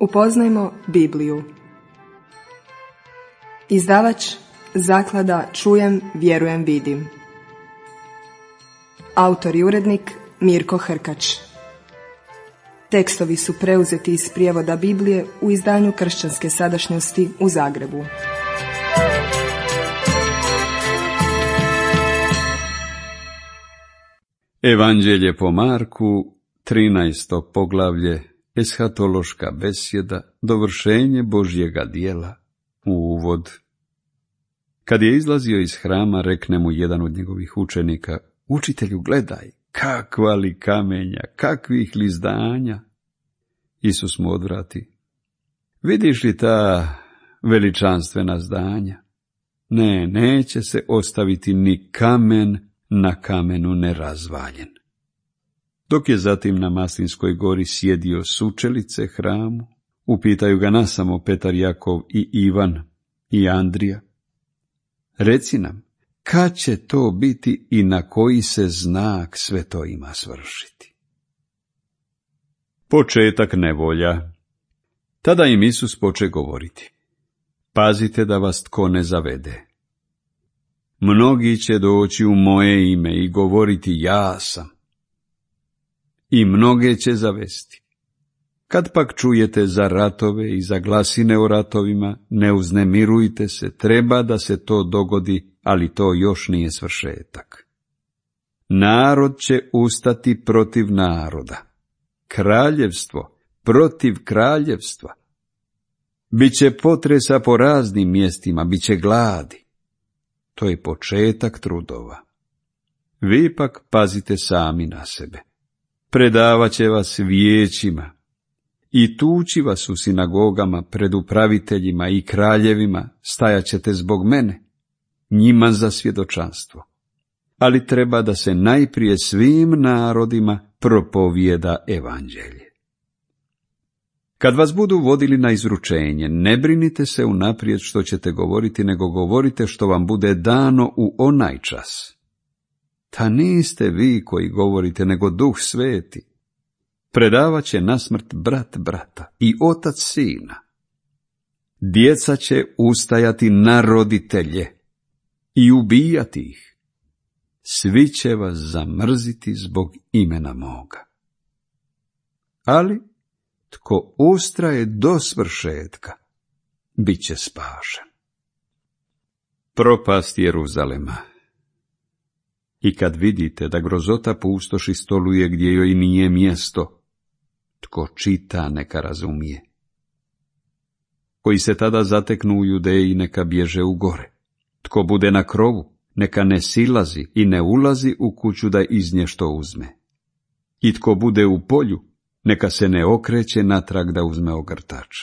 Upoznajmo Bibliju. Izdavač Zaklada Čujem, vjerujem, vidim. Autor i urednik Mirko Hrkač. Tekstovi su preuzeti iz prijevoda Biblije u izdanju Kršćanske sadašnjosti u Zagrebu. Evanđelje po Marku, 13. poglavlje, eshatološka besjeda, dovršenje Božjega djela, uvod. Kad je izlazio iz hrama, rekne mu jedan od njegovih učenika: Učitelju, gledaj, kakva li kamenja, kakvih li zdanja. Isus mu odvrati: Vidiš li ta veličanstvena zdanja? Ne, neće se ostaviti ni kamen na kamenu nerazvaljen. Dok je zatim na Maslinskoj gori sjedio s učelice hramu, upitaju ga nasamo Petar, Jakov i Ivan i Andrija: Reci nam, kad će to biti i na koji se znak sve to ima svršiti? Početak nevolja. Tada im Isus poče govoriti: Pazite da vas tko ne zavede. Mnogi će doći u moje ime i govoriti ja sam. I mnoge će zavesti. Kad pak čujete za ratove i za glasine o ratovima, ne uznemirujte se, treba da se to dogodi, ali to još nije svršetak. Narod će ustati protiv naroda, kraljevstvo protiv kraljevstva. Biće potresa po raznim mjestima, biće gladi. To je početak trudova. Vi pak pazite sami na sebe. Predavat će vas vijećima i tući vas u sinagogama pred upraviteljima i kraljevima, stajat ćete zbog mene, njima za svjedočanstvo. Ali treba da se najprije svim narodima propovijeda evanđelje. Kad vas budu vodili na izručenje, ne brinite se unaprijed što ćete govoriti, nego govorite što vam bude dano u onaj čas. Ta niste vi koji govorite, nego Duh Sveti. Predavat će na smrt brat brata i otac sina. Djeca će ustajati na roditelje i ubijati ih. Svi će vas zamrziti zbog imena moga. Ali tko ustraje do svršetka, bit će spašen. Propast Jeruzalema. I kad vidite da grozota pustoši stoluje gdje joj nije mjesto, tko čita neka razumije. Koji se tada zateknu u Judeji, neka bježe u gore. Tko bude na krovu, neka ne silazi i ne ulazi u kuću da iz nje što uzme. I tko bude u polju, neka se ne okreće natrag da uzme ogrtač.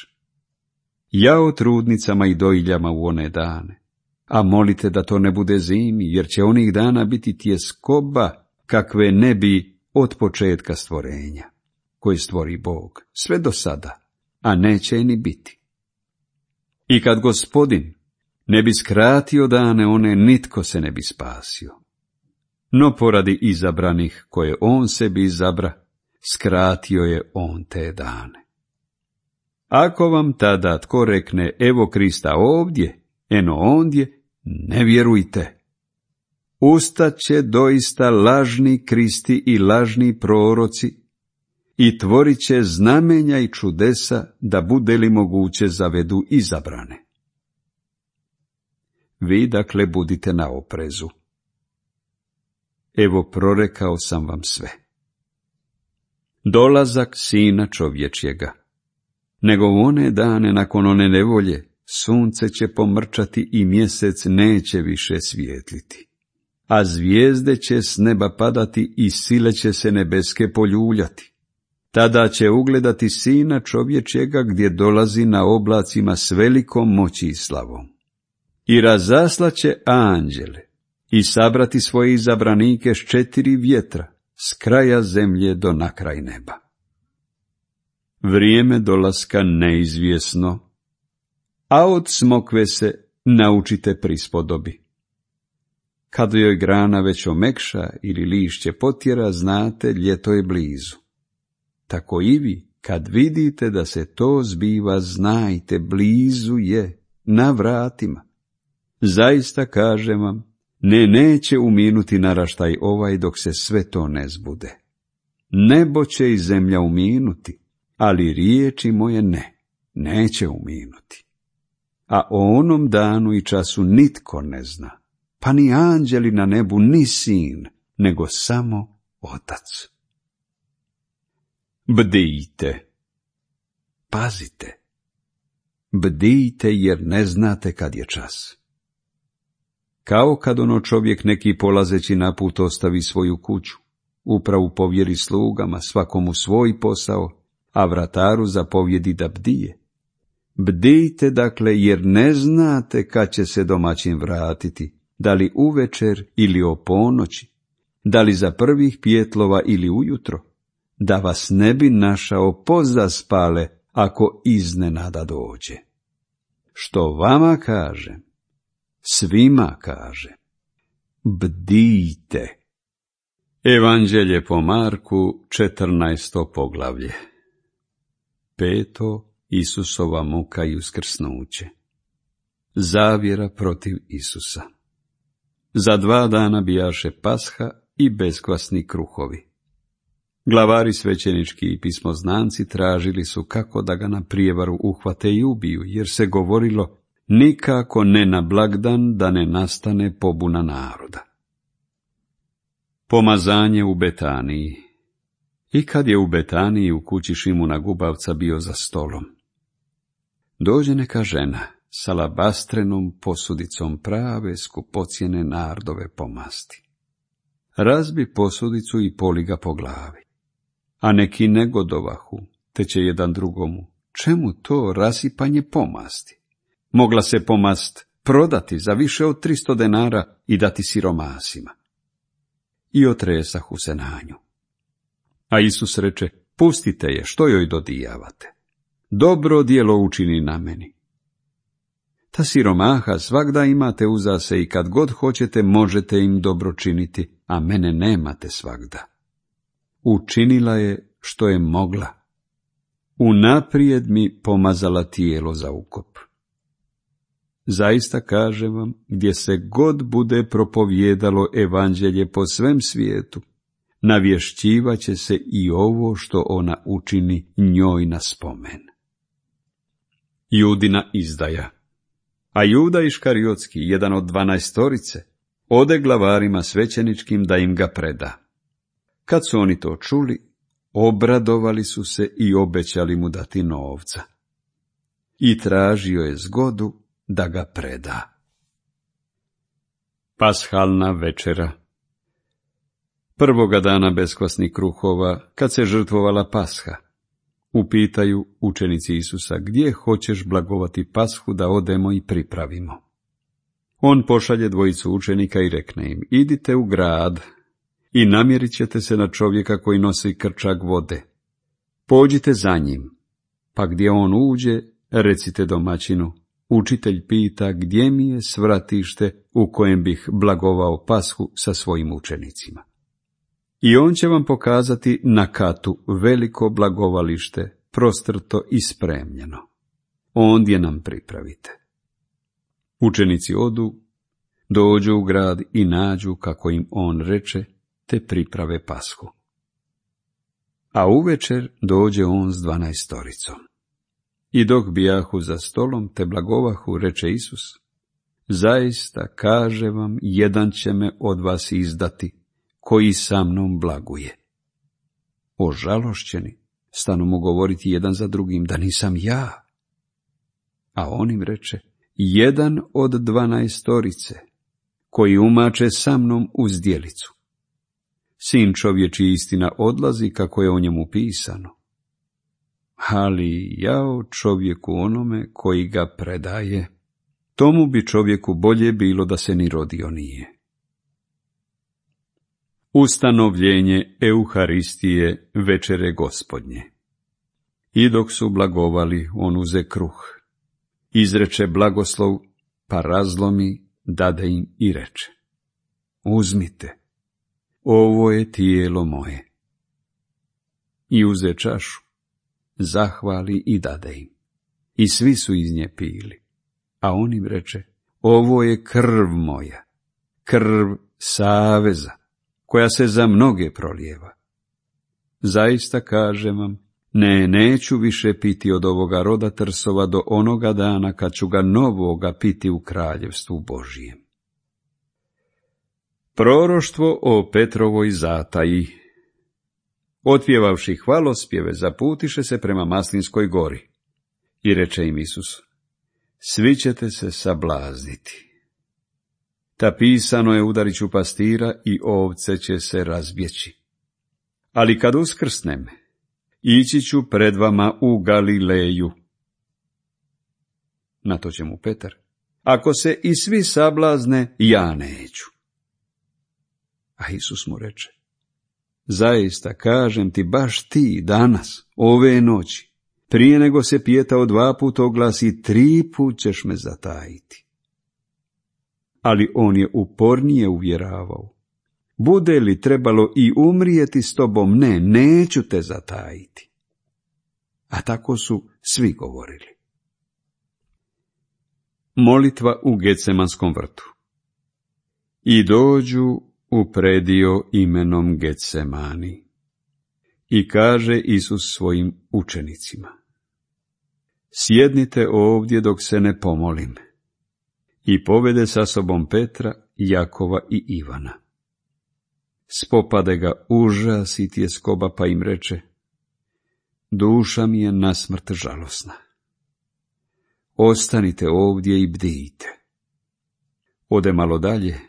Jao trudnicama i dojiljama u one dane, a molite da to ne bude zimi, jer će onih dana biti tjeskoba kakve ne bi od početka stvorenja, koji stvori Bog, sve do sada, a neće ni biti. I kad Gospodin ne bi skratio dane one, nitko se ne bi spasio. No poradi izabranih koje on sebi izabra, skratio je on te dane. Ako vam tada tko rekne evo Krista ovdje, eno ondje, ne vjerujte. Ustaće doista lažni Kristi i lažni proroci i tvorit će znamenja i čudesa, da bude li moguće zavedu izabrane. Vi dakle budite na oprezu. Evo prorekao sam vam sve. Dolazak Sina čovječjega. Nego u one dane nakon one nevolje, sunce će pomrčati i mjesec neće više svijetliti. A zvijezde će s neba padati i sile će se nebeske poljuljati. Tada će ugledati Sina čovječjega gdje dolazi na oblacima s velikom moći i slavom. I razaslaće anđele i sabrati svoje izabranike s 4 vjetra, s kraja zemlje do na kraj neba. Vrijeme dolaska neizvjesno, a od smokve se naučite prispodobi. Kad joj grana već omekša ili lišće potjera, znate, ljeto je blizu. Tako i vi, Kad vidite da se to zbiva, znajte, blizu je, na vratima. Zaista kažem vam, neće uminuti naraštaj ovaj dok se sve to ne zbude. Nebo će i zemlja uminuti, ali riječi moje neće uminuti. A o onom danu i času nitko ne zna, pa ni anđeli na nebu, ni sin, nego samo Otac. Bdijte. Pazite. Bdijte jer ne znate kad je čas. Kao kad čovjek neki polazeći na put ostavi svoju kuću, upravu povjeri slugama, svakomu svoj posao, a vrataru zapovjedi da bdije. Bdijte dakle jer ne znate kad će se domaćin vratiti, da li uvečer ili o ponoći, da li za prvih pjetlova ili ujutro, da vas ne bi našao pozaspale ako iznenada dođe. Što vama kažem, svima kažem, bdijte. Evanđelje po Marku, 14. poglavlje. 5. Isusova muka i uskrsnuće. Zavjera protiv Isusa. Za 2 dana bijaše Pasha i beskvasni kruhovi. Glavari svećenički i pismoznanci tražili su kako da ga na prijevaru uhvate i ubiju, jer se govorilo nikako ne na blagdan da ne nastane pobuna naroda. Pomazanje u Betaniji. I kad je u Betaniji u kući Šimuna Gubavca bio za stolom, dođe neka žena s alabastrenom posudicom prave skupocjene nardove pomasti. Razbi posudicu i poli ga po glavi. A neki negodovahu, te će jedan drugomu, čemu to rasipanje pomasti? Mogla se pomast prodati za više od 300 denara i dati siromasima. I otresahu se na nju. A Isus reče, pustite je, što joj dodijavate? Dobro djelo učini na meni. Ta siromaha svagda imate uza se i kad god hoćete možete im dobro činiti, a mene nemate svagda. Učinila je što je mogla. Unaprijed mi pomazala tijelo za ukop. Zaista kažem vam, gdje se god bude propovijedalo evanđelje po svem svijetu, navješćivaće se i ovo što ona učini njoj na spomen. Judina izdaja. A Juda Iškariotski, jedan od 12, ode glavarima svećeničkim da im ga preda. Kad su oni to čuli, obradovali su se i obećali mu dati novca. I tražio je zgodu da ga preda. Pashalna večera. Prvoga dana beskvasnih kruhova, kad se žrtvovala Pasha, upitaju učenici Isusa, gdje hoćeš blagovati Pashu da odemo i pripravimo. On pošalje 2 učenika i rekne im, idite u grad i namjerit ćete se na čovjeka koji nosi krčak vode. Pođite za njim, pa gdje on uđe, recite domaćinu, učitelj pita gdje mi je svratište u kojem bih blagovao Pashu sa svojim učenicima. I on će vam pokazati na katu veliko blagovalište, prostrto i spremljeno. Ondje nam pripravite. Učenici odu, dođu u grad i nađu kako im on reče, te priprave Pashu. A uvečer dođe on s 12. I dok bijahu za stolom te blagovahu, reče Isus, zaista kaže vam, jedan će me od vas izdati, koji sa mnom blaguje. Ožalošćeni stanu mu govoriti jedan za drugim da nisam ja. A on im reče, jedan od 12, koji umače sa mnom u zdjelicu. Sin čovječji istina odlazi kako je o njemu pisano. Ali jao čovjeku onome koji ga predaje, tomu bi čovjeku bolje bilo da se ni rodio nije. Ustanovljenje Euharistije večere Gospodnje. I dok su blagovali, on uze kruh, izreče blagoslov, pa razlomi, dade im i reče, uzmite, ovo je tijelo moje. I uze čašu, zahvali i dade im. I svi su iz nje pili. A on im reče, ovo je krv moja, krv saveza, koja se za mnoge prolijeva. Zaista kažem vam, neću više piti od ovoga roda trsova do onoga dana kad ću ga novoga piti u kraljevstvu Božijem. Proroštvo o Petrovoj zataji. Otpjevavši hvalospjeve, zaputiše se prema Maslinskoj gori. I reče im Isus, svi ćete se sablazniti. Ta pisano je, udarit ću pastira i ovce će se razbjeći. Ali kad uskrsnem, ići ću pred vama u Galileju. Na to će mu Petar, ako se i svi sablazne, ja neću. A Isus mu reče, zaista kažem ti, baš ti danas, ove noći, prije nego se pijetao 2 puta oglasi, 3 put ćeš me zatajiti. Ali on je upornije uvjeravao, bude li trebalo i umrijeti s tobom, neću te zatajiti. A tako su svi govorili. Molitva u Gecemanskom vrtu. I dođu u predio imenom Getsemani. I kaže Isus svojim učenicima, sjednite ovdje dok se ne pomolim. I povede sa sobom Petra, Jakova i Ivana. Spopade ga užas i tjeskoba, pa im reče, duša mi je nasmrt žalosna. Ostanite ovdje i bdijte. Ode malo dalje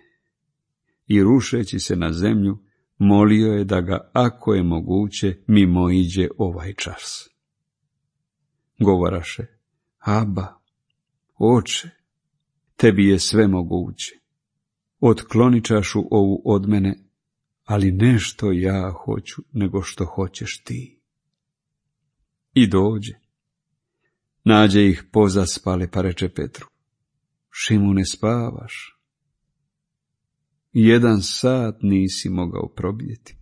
i rušeći se na zemlju, molio je da ga, ako je moguće, mimoiđe ovaj čas. Govoraše, Aba, Oče, tebi je sve moguće. Otkloni čašu ovu od mene, ali ne što ja hoću, nego što hoćeš ti. I dođe. Nađe ih pozaspale, pa reče Petru, Šimune, spavaš? 1 sat nisi mogao probdjeti.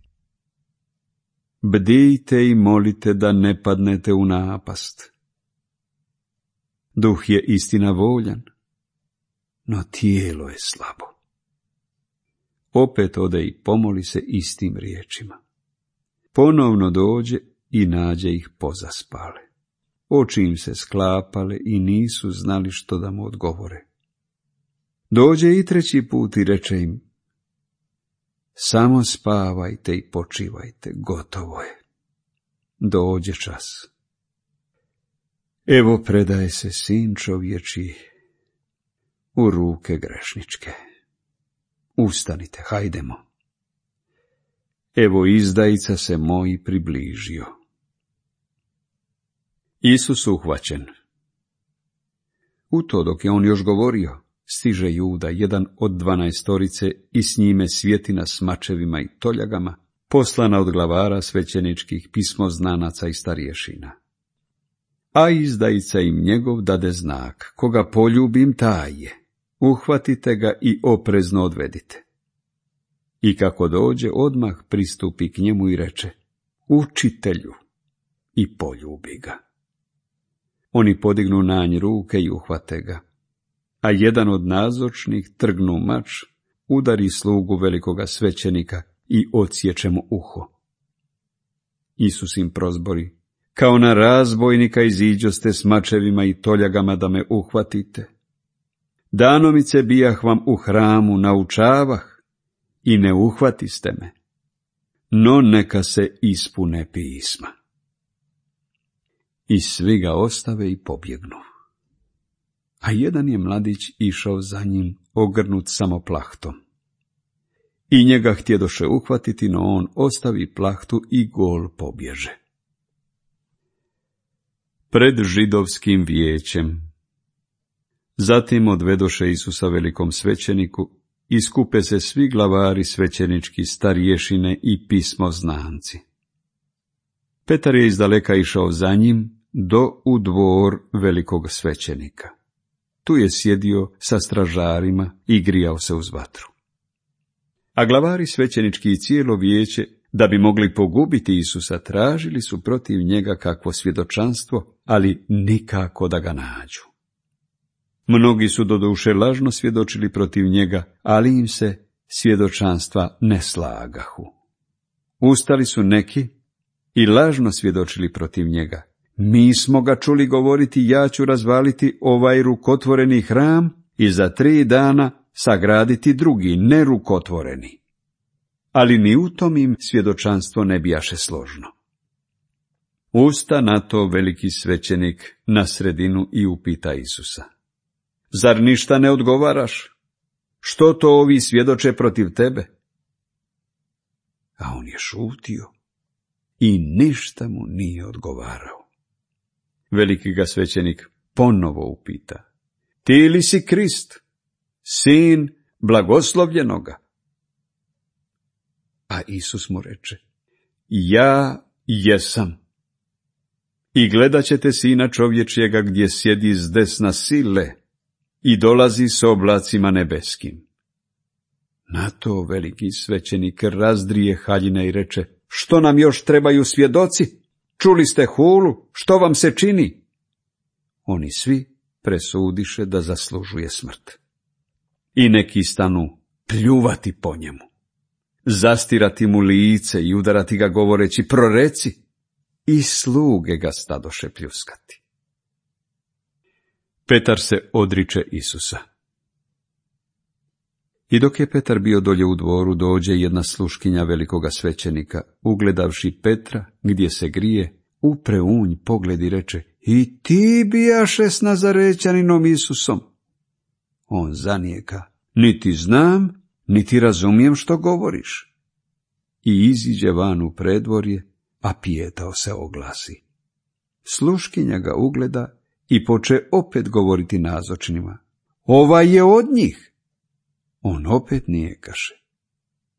Bdijte i molite da ne padnete u napast. Duh je istina voljan, no tijelo je slabo. Opet ode i pomoli se istim riječima. Ponovno dođe i nađe ih pozaspale. Oči im se sklapale i nisu znali što da mu odgovore. Dođe i 3. put i reče im, samo spavajte i počivajte, gotovo je. Dođe čas. Evo predaje se Sin čovječji u ruke grešničke. Ustanite, hajdemo. Evo izdajica se moj približio. Isus uhvaćen. U to dok je on još govorio, stiže Juda, jedan od 12 i s njime Svjetina s mačevima i toljagama, poslana od glavara svećeničkih, pismoznanaca i starješina. A izdajica im njegov dade znak, koga poljubim taj je, uhvatite ga i oprezno odvedite. I kako dođe, odmah pristupi k njemu i reče, učitelju, i poljubi ga. Oni podignu na nj ruke i uhvate ga, a jedan od nazočnih trgnu mač, udari slugu velikoga svećenika i odsječe mu uho. Isus im prozbori, kao na razbojnika iziđoste s mačevima i toljagama da me uhvatite. Danomice bijah vam u hramu, naučavah i ne uhvatiste me, no neka se ispune pisma. I svi ga ostave i pobjegnu. A jedan je mladić išao za njim, ogrnut samo plahtom. I njega htjedoše uhvatiti, no on ostavi plahtu i gol pobježe. Pred židovskim vijećem. Zatim odvedoše Isusa velikom svećeniku i skupe se svi glavari svećenički, starješine i pismoznanci. Petar je izdaleka išao za njim u dvor velikog svećenika. Tu je sjedio sa stražarima i grijao se uz vatru. A glavari svećenički i cijelo vijeće Da bi mogli pogubiti Isusa, tražili su protiv njega kakvo svjedočanstvo, ali nikako da ga nađu. Mnogi su doduše lažno svjedočili protiv njega, ali im se svjedočanstva ne slagahu. Ustali su neki i lažno svjedočili protiv njega. Mi smo ga čuli govoriti, ja ću razvaliti ovaj rukotvoreni hram i za 3 dana sagraditi drugi, nerukotvoreni. Ali ni u tom im svjedočanstvo ne bijaše složno. Usta na to veliki svećenik na sredinu i upita Isusa: Zar ništa ne odgovaraš? Što to ovi svjedoče protiv tebe? A on je šutio i ništa mu nije odgovarao. Veliki ga svećenik ponovo upita: Ti li si Krist, sin blagoslovljenoga? A Isus mu reče: Ja jesam. I gledat ćete Sina čovječjega gdje sjedi s desna sile i dolazi s oblacima nebeskim. Na to veliki svećenik razdrije haljine i reče: Što nam još trebaju svjedoci? Čuli ste hulu, što vam se čini? Oni svi presudiše da zaslužuje smrt. I neki stanu pljuvati po njemu, zastirati mu lice i udarati ga govoreći: Proreci! I sluge ga stadoše pljuskati. Petar se odriče Isusa. I dok je Petar bio dolje u dvoru, dođe jedna sluškinja velikoga svećenika, ugledavši Petra gdje se grije, upre unj pogled i reče: I ti bijaše s Nazarećaninom Isusom. On zanijeka: Niti znam, niti razumijem što govoriš. I iziđe van u predvorje, a pijetao se oglasi. Sluškinja ga ugleda i poče opet govoriti nazočnima: Ovaj je od njih. On opet nijekaše.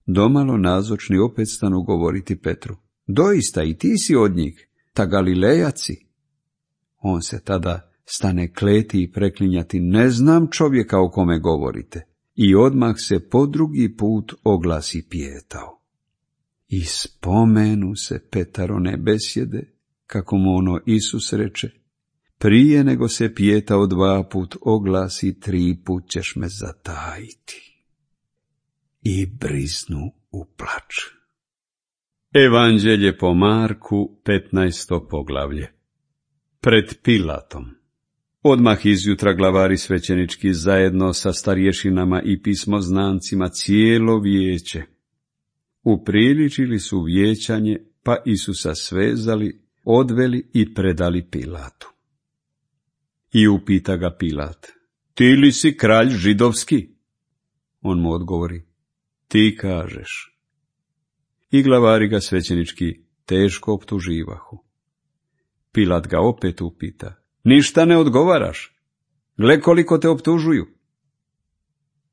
Domalo nazočni opet stanu govoriti Petru: Doista i ti si od njih, ta Galilejaci. On se tada stane kleti i preklinjati: Ne znam čovjeka o kome govorite. I odmah se po drugi put oglasi pijetao. I spomenu se Petarone besjede, kako mu ono Isus reče: Prije nego se pijetao 2 put oglasi, 3 put ćeš me zatajiti. I briznu u plač. Evanđelje po Marku, 15. poglavlje. Pred Pilatom. Odmah izjutra glavari svećenički zajedno sa starješinama i pismoznancima cijelo vijeće upriličili su vijećanje, pa Isusa svezali, odveli i predali Pilatu. I upita ga Pilat: Ti li si kralj židovski? On mu odgovori: Ti kažeš. I glavari ga svećenički teško optuživahu. Pilat ga opet upita: Ništa ne odgovaraš? Gle koliko te optužuju.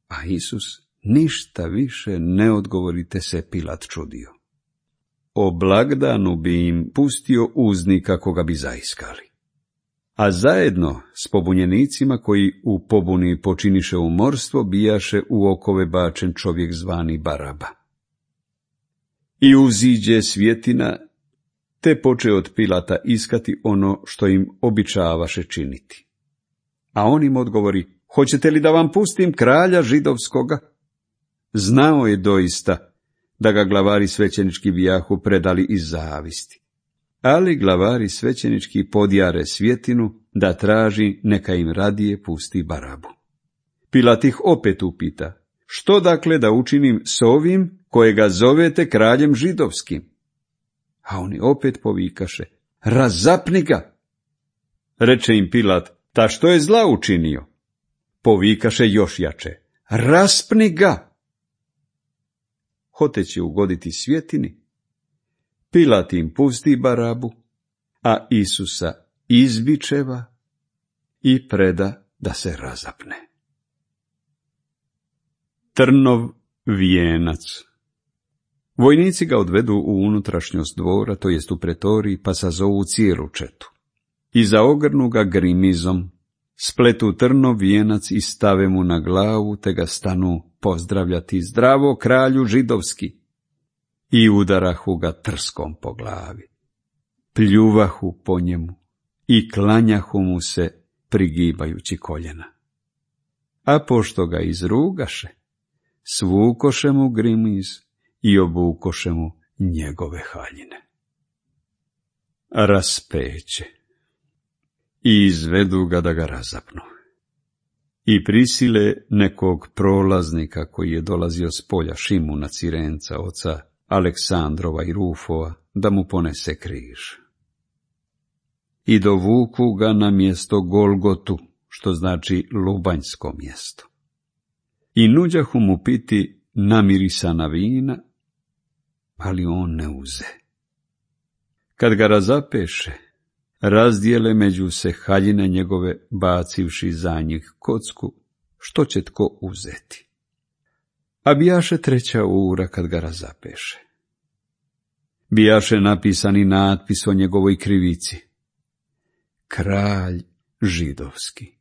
A Isus ništa više ne odgovorite se Pilat čudio. O blagdanu bi im pustio uznika koga bi zaiskali. A zajedno s pobunjenicima koji u pobuni počiniše umorstvo bijaše u okove bačen čovjek zvani Baraba. I uziđe svjetina, te poče od Pilata iskati ono što im običavaše činiti. A on im odgovori: Hoćete li da vam pustim kralja židovskoga? Znao je doista da ga glavari svećenički bijahu predali iz zavisti. Ali glavari svećenički podjare svjetinu da traži neka im radije pusti Barabu. Pilat ih opet upita: Što dakle da učinim s ovim kojega zovete kraljem židovskim? A oni opet povikaše: Razapni ga! Reče im Pilat: Ta što je zla učinio? Povikaše još jače: Raspni ga! Hoteći ugoditi svjetini, Pilat im pusti Barabu, a Isusa izbičeva i preda da se razapne. Trnov vijenac. Vojnici ga odvedu u unutrašnjost dvora, to jest u pretoriji, pa sazovu cijelu četu. I zaogrnu ga grimizom, spletu trnov vijenac i stave mu na glavu, te ga stanu pozdravljati: Zdravo, kralju židovski! i udarahu ga trskom po glavi. Pljuvahu po njemu i klanjahu mu se prigibajući koljena. A pošto ga izrugaše, svukoše mu grimiz i obukoše mu njegove haljine. Raspeće i izvedu ga da ga razapnu. I prisile nekog prolaznika koji je dolazio s polja Šimuna Cirenca, oca Aleksandrova i Rufova, da mu ponese križ. I dovuku ga na mjesto Golgotu, što znači lubanjsko mjesto. I nuđahu mu piti namirisana vina, ali on ne uze. Kad ga razapeše, razdijele među se haljine njegove, bacivši za njih kocku, što će tko uzeti. A bijaše 3. ura kad ga razapeše. Bijaše napisani natpis o njegovoj krivici: Kralj židovski.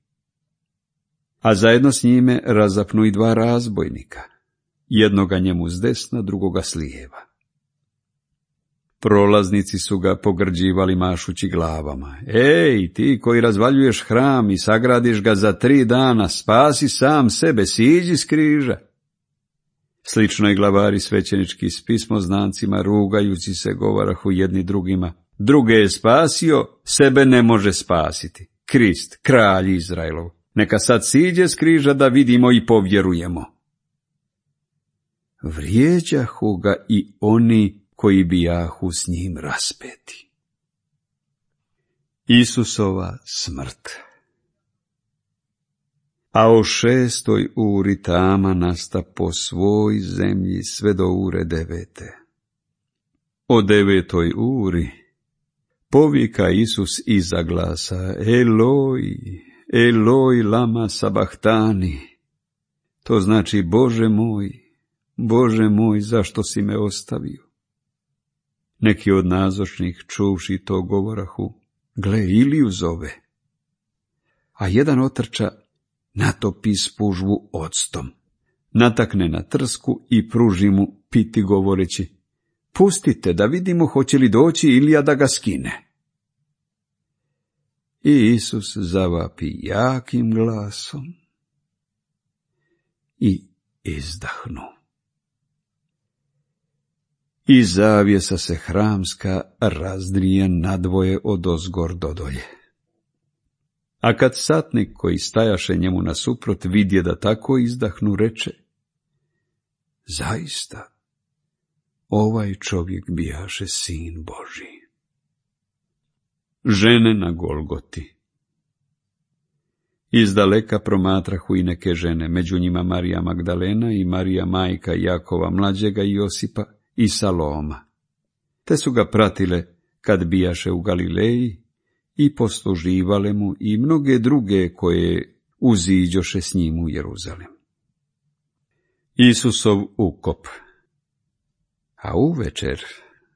A zajedno s njime razapnu i 2 razbojnika, jednoga njemu s desna, drugoga s lijeva. Prolaznici su ga pogrđivali mašući glavama: Ej, ti koji razvaljuješ hram i sagradiš ga za 3 dana, spasi sam sebe, siđi s križa. Slično i glavari svećenički s pismoznancima, rugajući se, govarahu jedni drugima: Druge je spasio, sebe ne može spasiti. Krist, kralj Izraelov, neka sad siđe s križa da vidimo i povjerujemo. Vrijeđahu ga i oni koji bijahu s njim raspeti. Isusova smrt. A o 6. uri tama nasta po svoj zemlji sve do ure 9. O 9. uri povika Isus iza glasa: Eloi, Eloi lama sabahtani. To znači: Bože moj, zašto si me ostavio? Neki od nazočnih, čuvši to, govorahu: Gle, Iliju zove. A jedan otrča natopi spužvu octom, natakne na trsku i pruži mu piti, govoreći: Pustite da vidimo hoće li doći Ilija da ga skine. I Isus zavapi jakim glasom i izdahnu. I zavjesa se hramska razdrije nadvoje odozgor do dolje. A kad satnik koji stajaše njemu nasuprot vidje da tako izdahnu, reče: Zaista, ovaj čovjek bijaše sin Božji. Žene na Golgoti. Izdaleka promatrahu i neke žene, među njima Marija Magdalena i Marija majka Jakova mlađega i Josipa i Saloma. Te su ga pratile kad bijaše u Galileji i posluživale mu, i mnoge druge koje uziđoše s njim u Jeruzalem. Isusov ukop. A uvečer,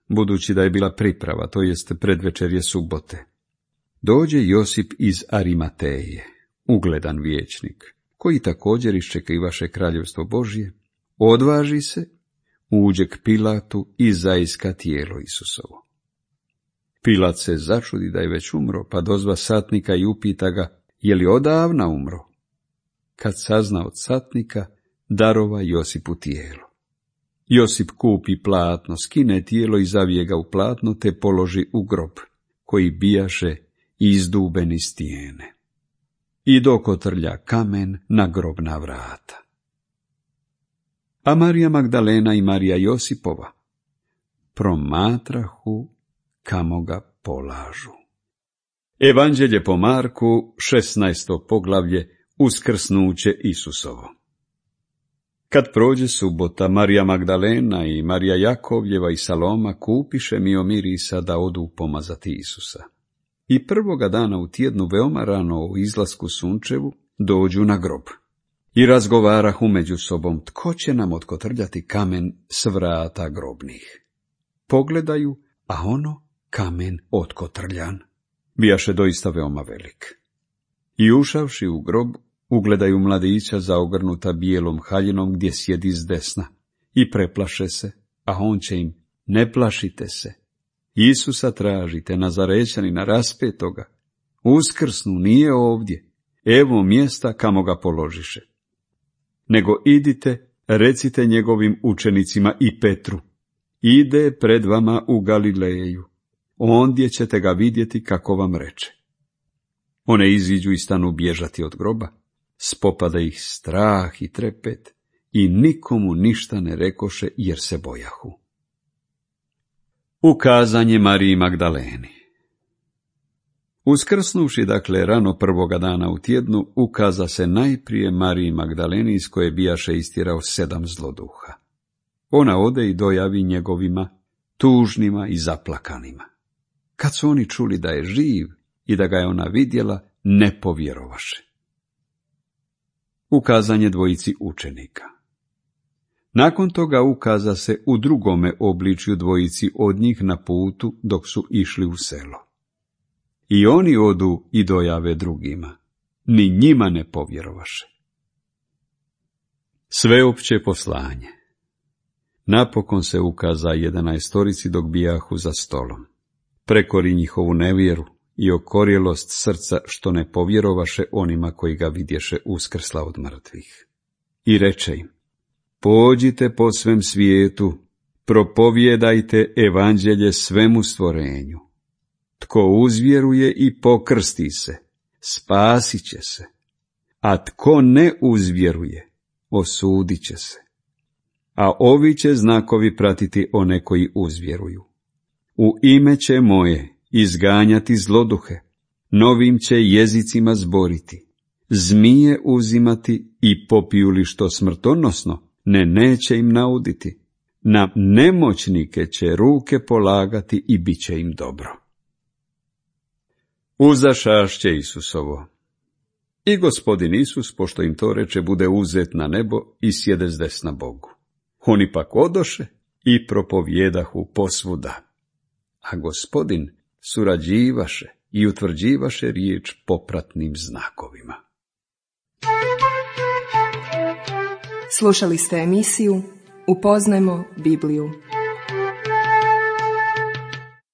budući da je bila priprava, to jest predvečerje subote, dođe Josip iz Arimateje, ugledan vijećnik, koji također iščekivaše kraljevstvo Božje, odvaži se, uđe k Pilatu i zaiska tijelo Isusovo. Pilat se začudi da je već umro, pa dozva satnika i upita ga: Je li odavna umro? Kad sazna od satnika, darova Josipu tijelo. Josip kupi platno, skine tijelo i zavije ga u platno, te položi u grob, koji bijaše izduben iz stijene. I dokotrlja kamen na grobna vrata. A Marija Magdalena i Marija Josipova promatrahu kamo ga polažu. Evanđelje po Marku, 16. poglavlje, uskrsnuće Isusovo. Kad prođe subota, Marija Magdalena i Marija Jakovljeva i Saloma kupiše mio mirisa da odu pomazati Isusa. I prvoga dana u tjednu, veoma rano u izlasku sunčevu, dođu na grob. I razgovarahu među sobom: Tko će nam otkotrljati kamen s vrata grobnih? Pogledaju, a ono, kamen otkotrljan, bijaše doista veoma velik. I ušavši u grob, ugledaju mladića zaogrnuta bijelom haljinom gdje sjedi s desna, i preplaše se, a on će im Ne plašite se. Isusa tražite, Nazarećanina raspetoga. Uskrsnu, nije ovdje. Evo mjesta kamo ga položiše. Nego idite, recite njegovim učenicima i Petru. Ide pred vama u Galileju. Ondje ćete ga vidjeti kako vam reče. One iziđu i stanu bježati od groba. Spopada ih strah i trepet i nikomu ništa ne rekoše jer se bojahu. Ukazanje Mariji Magdaleni. Uskrsnuvši dakle rano prvoga dana u tjednu, ukaza se najprije Mariji Magdaleni iz koje bijaše istirao 7 zloduha. Ona ode i dojavi njegovima, tužnima i zaplakanima. Kad su oni čuli da je živ i da ga je ona vidjela, ne povjerovaše. Ukazanje dvojici učenika. Nakon toga ukaza se u drugome obličju dvojici od njih na putu dok su išli u selo. I oni odu i dojave drugima, ni njima ne povjerovaše. Sveopće poslanje. Napokon se ukaza 11 dok bijahu za stolom. Prekori njihovu nevjeru i okorjelost srca što ne povjerovaše onima koji ga vidješe uskrsla od mrtvih. I reče im, pođite po svem svijetu, propovjedajte evanđelje svemu stvorenju. Tko uzvjeruje i pokrsti se, spasit će se, a tko ne uzvjeruje, osudit će se. A ovi će znakovi pratiti one koji uzvjeruju. U ime će moje izganjati zloduhe, novim će jezicima zboriti, zmije uzimati i popiju li što smrtonosno, neće im nauditi. Na nemoćnike će ruke polagati i bit će im dobro. Uzašašće Isusovo. I Gospodin Isus, pošto im to reče, bude uzet na nebo i sjede zdesna Bogu. Oni pak odoše i propovjedahu posvuda. A Gospodin surađivaše i utvrđivaše riječ popratnim znakovima. Slušali ste emisiju Upoznajmo Bibliju.